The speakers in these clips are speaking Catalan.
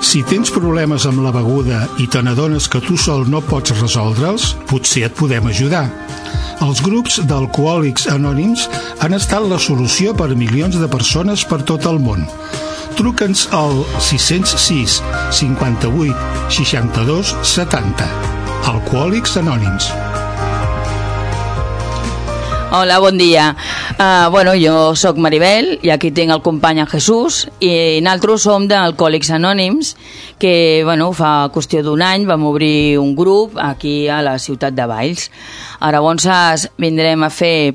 Si tens problemes amb la beguda i te n'adones que tu sol no pots resoldre'ls, potser et podem ajudar. Els grups d'alcohòlics anònims han estat la solució per a milions de persones per tot el món. Truca'ns al 606 58 62 70. Alcohòlics Anònims. Hola, bon dia. Jo sóc Maribel i aquí tinc el company en Jesús i nosaltres som d'Alcohòlics Anònims que, fa qüestió d'un any vam obrir un grup aquí a la ciutat de Valls. Ara llavors vindrem a fer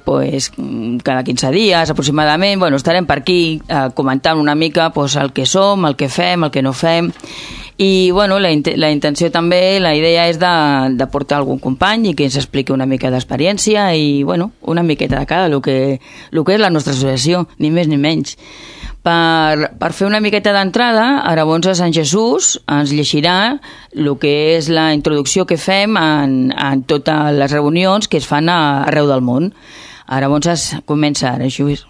cada 15 dies aproximadament, estarem per aquí comentant una mica el que som, el que fem, el que no fem. I la intenció també, la idea és de portar algun company i que ens expliqui una mica d'experiència i una miqueta de cada el que és la nostra associació, ni més ni menys. Per fer una miqueta d'entrada, ara llavors en Jesús ens llegirà el que és la introducció que fem en totes les reunions que es fan arreu del món. Ara llavors comença ara, Jesús.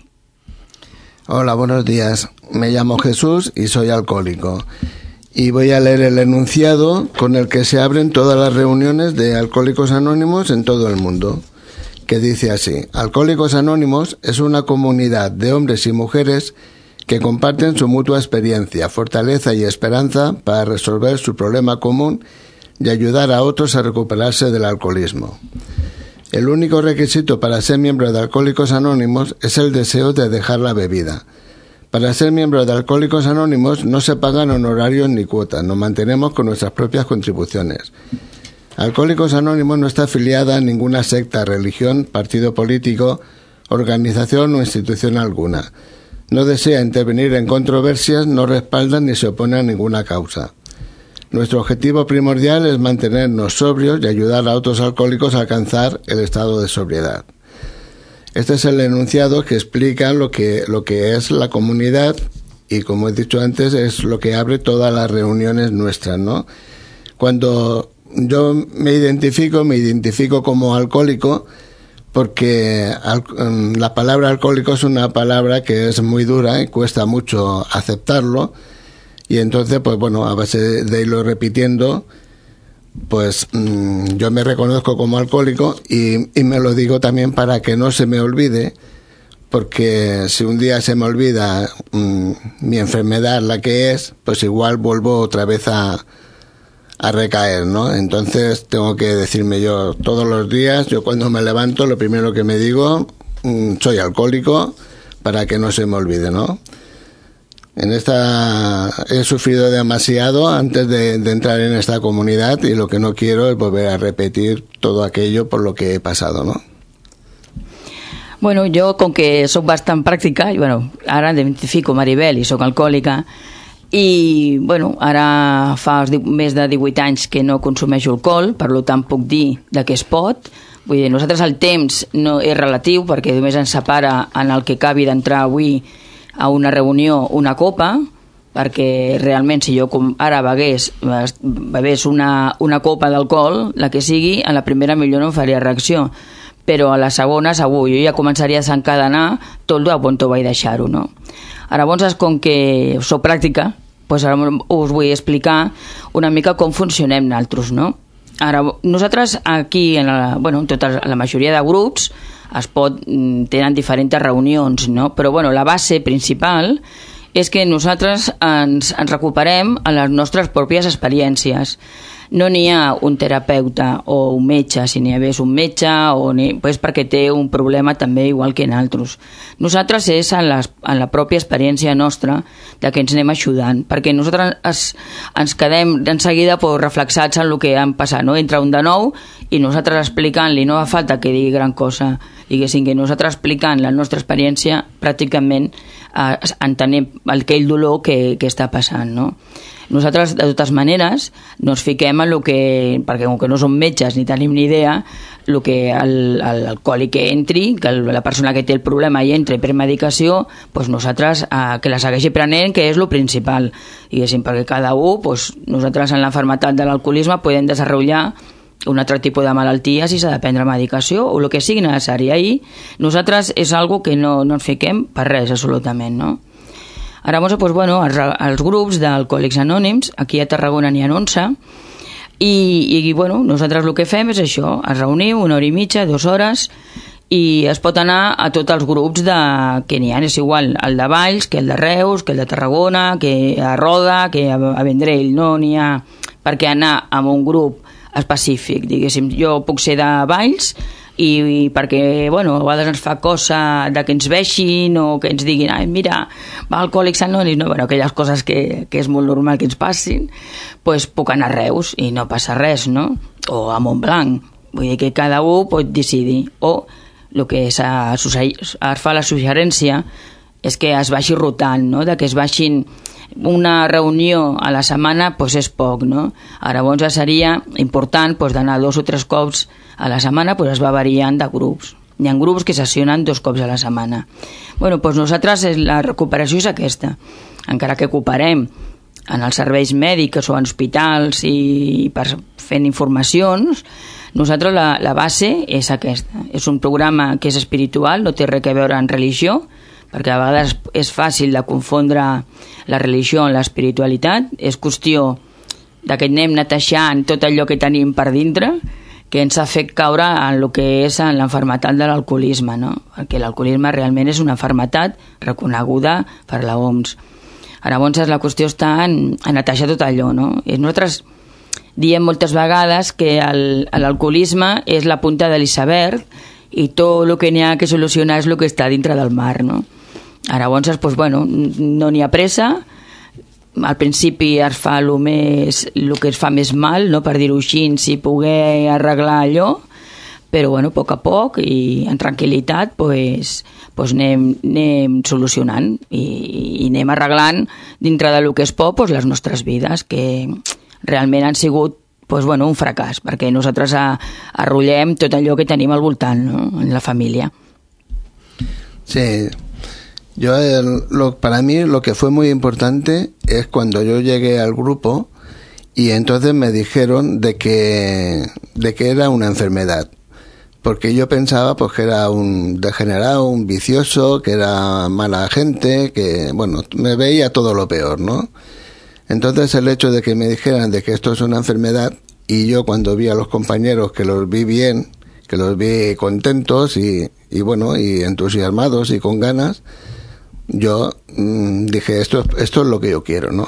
Hola, buenos días. Me llamo Jesús y soy alcohólico. Y voy a leer el enunciado con el que se abren todas las reuniones de Alcohólicos Anónimos en todo el mundo, que dice así: Alcohólicos Anónimos es una comunidad de hombres y mujeres que comparten su mutua experiencia, fortaleza y esperanza para resolver su problema común y ayudar a otros a recuperarse del alcoholismo. El único requisito para ser miembro de Alcohólicos Anónimos es el deseo de dejar la bebida. Para ser miembro de Alcohólicos Anónimos no se pagan honorarios ni cuotas, nos mantenemos con nuestras propias contribuciones. Alcohólicos Anónimos no está afiliada a ninguna secta, religión, partido político, organización o institución alguna. No desea intervenir en controversias, no respalda ni se opone a ninguna causa. Nuestro objetivo primordial es mantenernos sobrios y ayudar a otros alcohólicos a alcanzar el estado de sobriedad. Este es el enunciado que explica lo que es la comunidad y, como he dicho antes, es lo que abre todas las reuniones nuestras, ¿no? Cuando yo me identifico como alcohólico porque la palabra alcohólico es una palabra que es muy dura y cuesta mucho aceptarlo, y entonces, a base de irlo repitiendo, yo me reconozco como alcohólico y me lo digo también para que no se me olvide, porque si un día se me olvida mi enfermedad, la que es, pues igual vuelvo otra vez a recaer, ¿no? Entonces tengo que decirme yo todos los días, yo cuando me levanto, lo primero que me digo, soy alcohólico, para que no se me olvide, ¿no? He sufrido demasiado antes de entrar en esta comunidad y lo que no quiero es volver a repetir todo aquello por lo que he pasado, ¿no? Jo, com que soc bastant pràctica, ara identifico Maribel i soc alcohòlica i, ara fa més de 18 anys que no consumeixo alcohol, per tant puc dir de què es pot. Vull dir, nosaltres el temps no és relatiu perquè només ens separa en el que acabi d'entrar avui a una reunió una copa, perquè realment si jo ara bevés una copa d'alcohol, la que sigui, a la primera millor no em faria reacció, però a la segona segur, jo ja començaria a desencadenar tot on vaig deixar-ho, no? Ara llavors, com que soc pràctica, ara us vull explicar una mica com funcionem nosaltres, no? Ara, nosaltres aquí, en la majoria de grups, tenen diferents reunions, no? Però la base principal és que nosaltres ens recuperem a les nostres pròpies experiències. No n'hi ha un terapeuta o un metge, si n'hi hagués un metge, perquè té un problema també igual que nosaltres. Nosaltres és en la pròpia experiència nostra de que ens anem ajudant, perquè nosaltres ens quedem en seguida reflexats en el que han passat, no? Entra un de nou i nosaltres explicant-li, no fa falta que digui gran cosa, diguéssim que nosaltres explicant la nostra experiència pràcticament entenem aquell dolor que està passant, no? Nosaltres, de totes maneres, no ens fiquem en el que, perquè com que no som metges ni tenim ni idea, el que l'alcohòlic que entri, que la persona que té el problema hi entri per medicació, doncs nosaltres que la segueixi prenent, que és el principal, diguéssim, perquè cada un, nosaltres en la malaltia de l'alcoholisme podem desenvolupar un altre tipus de malaltia si s'ha de prendre medicació o el que sigui necessari. Ahir nosaltres és algo que no ens fiquem per res, absolutament, no? Llavors, doncs, bueno, els grups d'Alcohòlics Anònims, aquí a Tarragona n'hi ha 11, i bueno, nosaltres el que fem és això, es reuniu 1 hora i mitja, 2 hores, i es pot anar a tots els grups que n'hi ha, és igual el de Valls, que el de Reus, que el de Tarragona, que a Roda, que a Vendrell, no n'hi ha per què anar a un grup específic, diguéssim. Jo puc ser de Valls i perquè, bueno, a vegades ens fa cosa de que ens veixin o que ens diguin, ai, mira, va Alcohòlics Anònims, no, bueno, aquelles coses que és molt normal que ens passin, doncs puc anar a Reus i no passa res, no? O a Montblanc, vull dir que cada un pot decidir, o el que es fa la suggerència és que es vagi rotant, no? De que es vagin una reunió a la setmana, doncs és poc, no? Llavors seria important d'anar 2 o 3 cops a la setmana, es va variant de grups. Hi ha grups que sessionen 2 cops a la setmana. Bueno, doncs nosaltres la recuperació és aquesta. Encara que cooperem en els serveis mèdics o en hospitals i fent informacions, nosaltres la base és aquesta. És un programa que és espiritual, no té res a veure amb religió, perquè a vegades és fàcil de confondre la religió amb l'espiritualitat. És qüestió de que anem netejant tot allò que tenim per dintre, que ens ha fet caure en el que és en l'enfermetat de l'alcoholisme, no? Perquè l'alcoholisme realment és una enfermetat reconeguda per la OMS. Llavors la qüestió està en netejar tot allò, no? I nosaltres diem moltes vegades que l'alcoholisme és la punta de l'iceberg i tot el que n'hi ha que solucionar és el que està dintre del mar, no? Llavors, doncs, bueno, no n'hi ha pressa. Al principi es fa el que es fa més mal, no? Per dir-ho així, si poder arreglar allò, però bueno, a poc i en tranquil·litat anem solucionant i anem arreglant dintre del que es pot les nostres vides, que realment han sigut un fracàs, perquè nosaltres arrollem tot allò que tenim al voltant, ¿no? En la familia. Sí. Para mí lo que fue muy importante es cuando yo llegué al grupo y entonces me dijeron de que era una enfermedad, porque yo pensaba que era un degenerado, un vicioso, que era mala gente, que bueno, me veía todo lo peor, ¿no? Entonces el hecho de que me dijeran de que esto es una enfermedad, y yo cuando vi a los compañeros que los vi bien, que los vi contentos y entusiasmados y con ganas, yo dije, esto es lo que yo quiero, ¿no?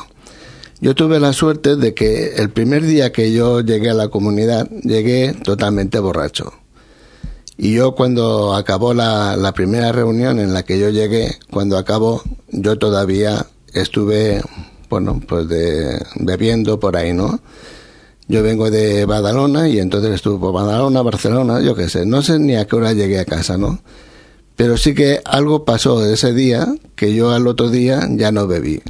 Yo tuve la suerte de que el primer día que yo llegué a la comunidad, llegué totalmente borracho. Y yo cuando acabó la primera reunión en la que yo llegué, cuando acabó, yo todavía estuve, bebiendo por ahí, ¿no? Yo vengo de Badalona y entonces estuve por Badalona, Barcelona, yo qué sé, no sé ni a qué hora llegué a casa, ¿no? Pero sí que algo pasó ese día que yo al otro día ya no bebí.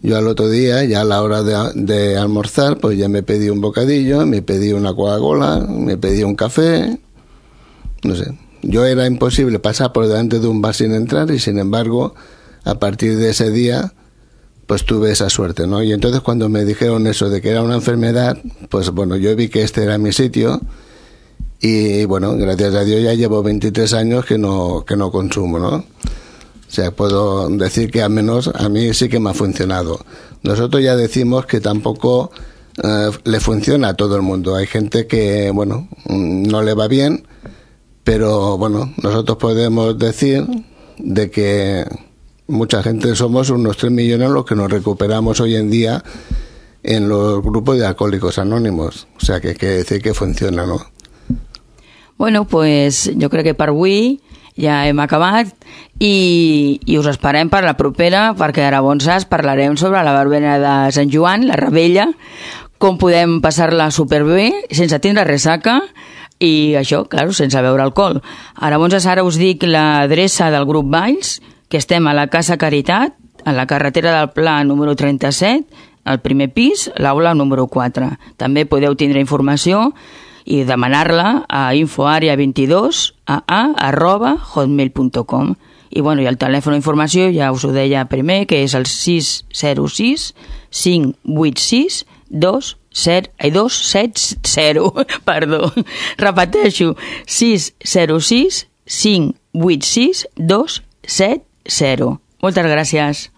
Yo al otro día, ya a la hora de almorzar, pues ya me pedí un bocadillo, me pedí una Coca-Cola, me pedí un café, no sé. Yo era imposible pasar por delante de un bar sin entrar y sin embargo, a partir de ese día, pues tuve esa suerte, ¿no? Y entonces cuando me dijeron eso de que era una enfermedad, pues bueno, yo vi que este era mi sitio. Y bueno, gracias a Dios ya llevo 23 años que no consumo, ¿no? O sea, puedo decir que al menos a mí sí que me ha funcionado. Nosotros ya decimos que tampoco le funciona a todo el mundo. Hay gente que, bueno, no le va bien, pero bueno, nosotros podemos decir de que mucha gente somos unos 3 millones los que nos recuperamos hoy en día en los grupos de Alcohòlics Anònims. O sea, que hay que decir que funciona, ¿no? Bueno, pues jo crec que per avui ja hem acabat i us esperem per la propera, perquè llavors parlarem sobre la verbena de Sant Joan, la Rebella, com podem passar-la superbé sense tindre ressaca i això, clar, sense beure alcohol. Llavors ara us dic l'adreça del grup Valls, que estem a la Casa Caritat, a la carretera del Pla número 37, al primer pis, l'aula número 4. També podeu tindre informació i demanar-la a infoarea22@hotmail.com. I bueno, i el telèfon d'informació ja us ho deia primer, que és el 606 586 270, perdó, repeteixo, 606 586 270. Moltes gràcies.